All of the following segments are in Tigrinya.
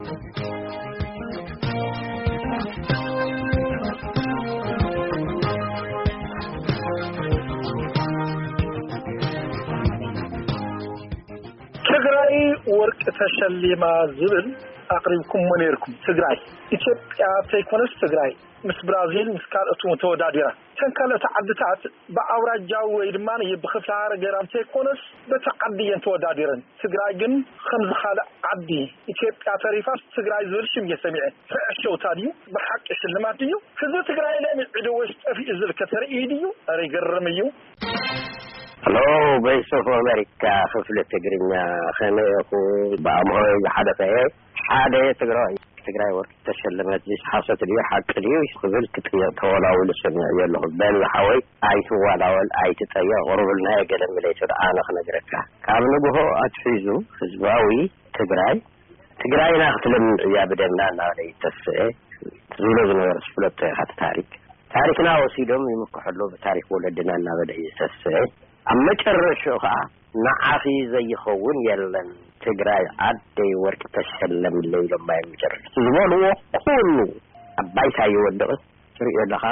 ትግራይ ወርቂ ተሸሊማ ዝብል ኣቕሪብኩሞ ነይርኩም። ትግራይ ኢትዮጵያ ተይኮነስ ትግራይ ምስ ብራዚል ምስ ካልኦት እውን ተወዳዲራ። እተን ካልኦት ዓድታት ብኣውራጃዊ ወይ ድማ ብክፍለ ሃገር እንተይኮነስ በቲ ዓዲ እየን ተወዳዲረን። ትግራይ ግን ከምዚ ካልእ ዓዲ ኢትዮጵያ ተሪፋ ትግራይ ዝብል ሽም እየ ሰሚዐ። ፍዕሸውታ ድዩ? ብሓቂ ሽልማት ድዩ? ህዝቢ ትግራይ ለሚዑ ዶ ወይስ ጠፊኡ ዝብል ከተርኢ ድዩ? ኧረ ይገርም እዩ። ሄሎ፣ ቮይስ ኦፍ ኣሜሪካ ክፍሊ ትግርኛ፣ ከመይ ኢኹም? ብኣምሆይ ዝሓለፈ እየ ሓደ ትግራዋይ ትግራይ ወርቂ ተሸለመት። እዚ ሓሶት ድዩ ሓቂ ድዩ ክብል ክጥየቅ ተወላዊሉ ሰሚዐ ዘለኹ። በል ዝሓወይ ኣይትዋላወል፣ ኣይትጠየቅ፣ ቅርቡልና የገለ ምለይቱ ደኣ ኣነ ክነግረካ። ካብ ንግሆ ኣትሒዙ ህዝባዊ ትግራይ ትግራይና ክትለምዕ እያ ብደምና እናበለ ይተስዐ ዝብሎ ዝነበረ ዝፍለጦ ኢኻ። እቲ ታሪክ ታሪክና ወሲዶም ይምክሑ ኣለዉ ብታሪክ ወለድና እናበለ ይተስዐ። ኣብ መጨረሽኡ ከዓ ንዓኺ ዘይኸውን የለን ትግራይ ዓደይ ወርቂ ተሸለምለይ ኢሎም ማይ መጨረሽቲ ዝበልዎ ኩሉ ኣብ ባይታ ይወድቕ። ትሪኦ ኣለኻ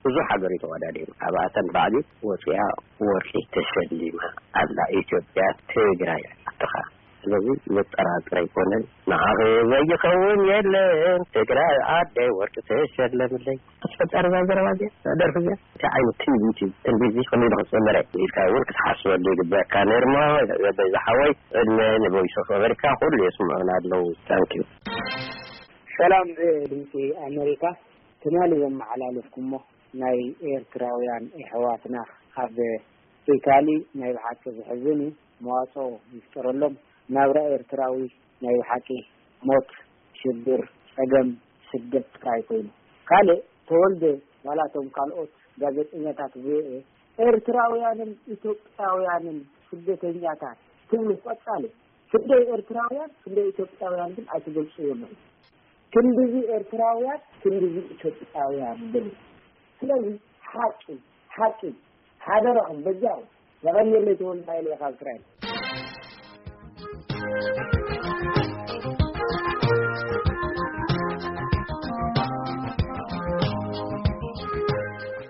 ብዙሕ ሃገር እዩ ተወዳዲሩ። ካብኣተን ባዕዲ ወፂኣ ወርቂ ተሸሊማ ኣላ ኢትዮጵያ ትግራይ ዓድኻ። ስለዚ ዘጠራጥር ኣይኮነን። ንዓኺ ዘይኸውን የለን ትግራይ ዓደይ ወርቂ ተሸለምለይ። ኣስፈጻሪ እዛ ዘረባ እዚኣ፣ እዛ ደርፊ እዚኣ፣ እንታይ ዓይነት ትንቢት እዩ? ትንቢት እዚ ከመይ ኢሉ ክጽንበረ ኢልካ እውን ክትሓስበሉ ይግበኣካ ነይሩ እሞ፣ በዛ ሓወይ፣ ዕድመ ንቮይስ ኦፍ ኣሜሪካ፣ ኩሉ የስምዑና ኣለዉ። ታንክ ዩ። ሰላም፣ ድምፂ ኣሜሪካ። ትማሊ ዘመሓላለፍኩሞ ናይ ኤርትራውያን ኣሕዋትና ኣብ ኢታሊ ናይ ብሓቂ ዘሕዝን እዩ። መዋፅኦ ይፍጠረሎም። ናብራ ኤርትራዊ ናይ ብሓቂ ሞት፣ ሽግር፣ ጸገም፣ ስደት ጥራይ ኮይኑ። ካልእ ተወልደ ዋላ እቶም ካልኦት ጋዜጠኛታት ቪኦኤ ኤርትራውያንን ኢትዮጵያውያንን ስደተኛታት ትብሉ ቀጻሊ ክንደይ ኤርትራውያን ክንደይ ኢትዮጵያውያን ግን ኣይትገልጽዎ ኣለኹም። ክንድዚ ኤርትራውያን ክንድዚ ኢትዮጵያውያን በሉ። ስለዚ ሓቂ ሓቂ ሓደራኹም በጃኹም። የቐንየለይ ተወልደ ሃይለ ካብ እስራኤል።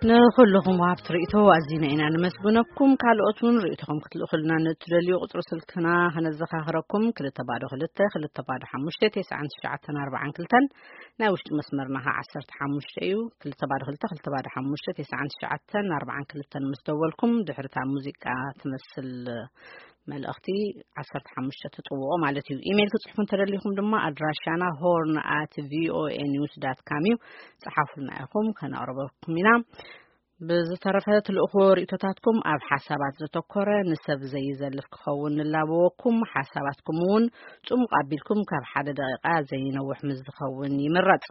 ንኹልኹም ወሃብቲ ርእይቶ ኣዚና ኢና ንመስግነኩም። ካልኦት እውን ርእይቶኹም ክትልእኹልና ንእትደልዩ ቁጽሪ ስልክና ከነዘኻኽረኩም፣ ክልተ ባዶ ክልተ፣ ክልተ ባዶ ሓሙሽተ፣ ተስዓን ትሽዓተን ኣርባዓን ክልተን፣ ናይ ውሽጢ መስመርና ኸዓ ዓሰርተ ሓሙሽተ እዩ። ክልተ ባዶ ክልተ፣ ክልተ ባዶ ሓሙሽተ፣ ተስዓን ትሽዓተን ኣርባዓን ክልተን ምስ ደወልኩም፣ ድሕሪ እታ ሙዚቃ ትመስል መልእኽቲ ዓሰርተ ሓሙሽተ ትጥውቑ ማለት እዩ። ኢሜይል ክትጽሕፉ እንተደሊኹም ድማ ኣድራሻና ሆርን ኣት ቪኦኤ ኒውስ ዳት ካም እዩ። ጸሓፉልና ኢኹም፣ ከነቕርበኩም ኢና። ብዝተረፈ ትልእኽዎ ርእይቶታትኩም ኣብ ሓሳባት ዘተኮረ፣ ንሰብ ዘይዘልፍ ክኸውን ንላበወኩም። ሓሳባትኩም እውን ጽሙቕ ኣቢልኩም ካብ ሓደ ደቂቓ ዘይነውሕ ምስ ዝኸውን ይምረጽ።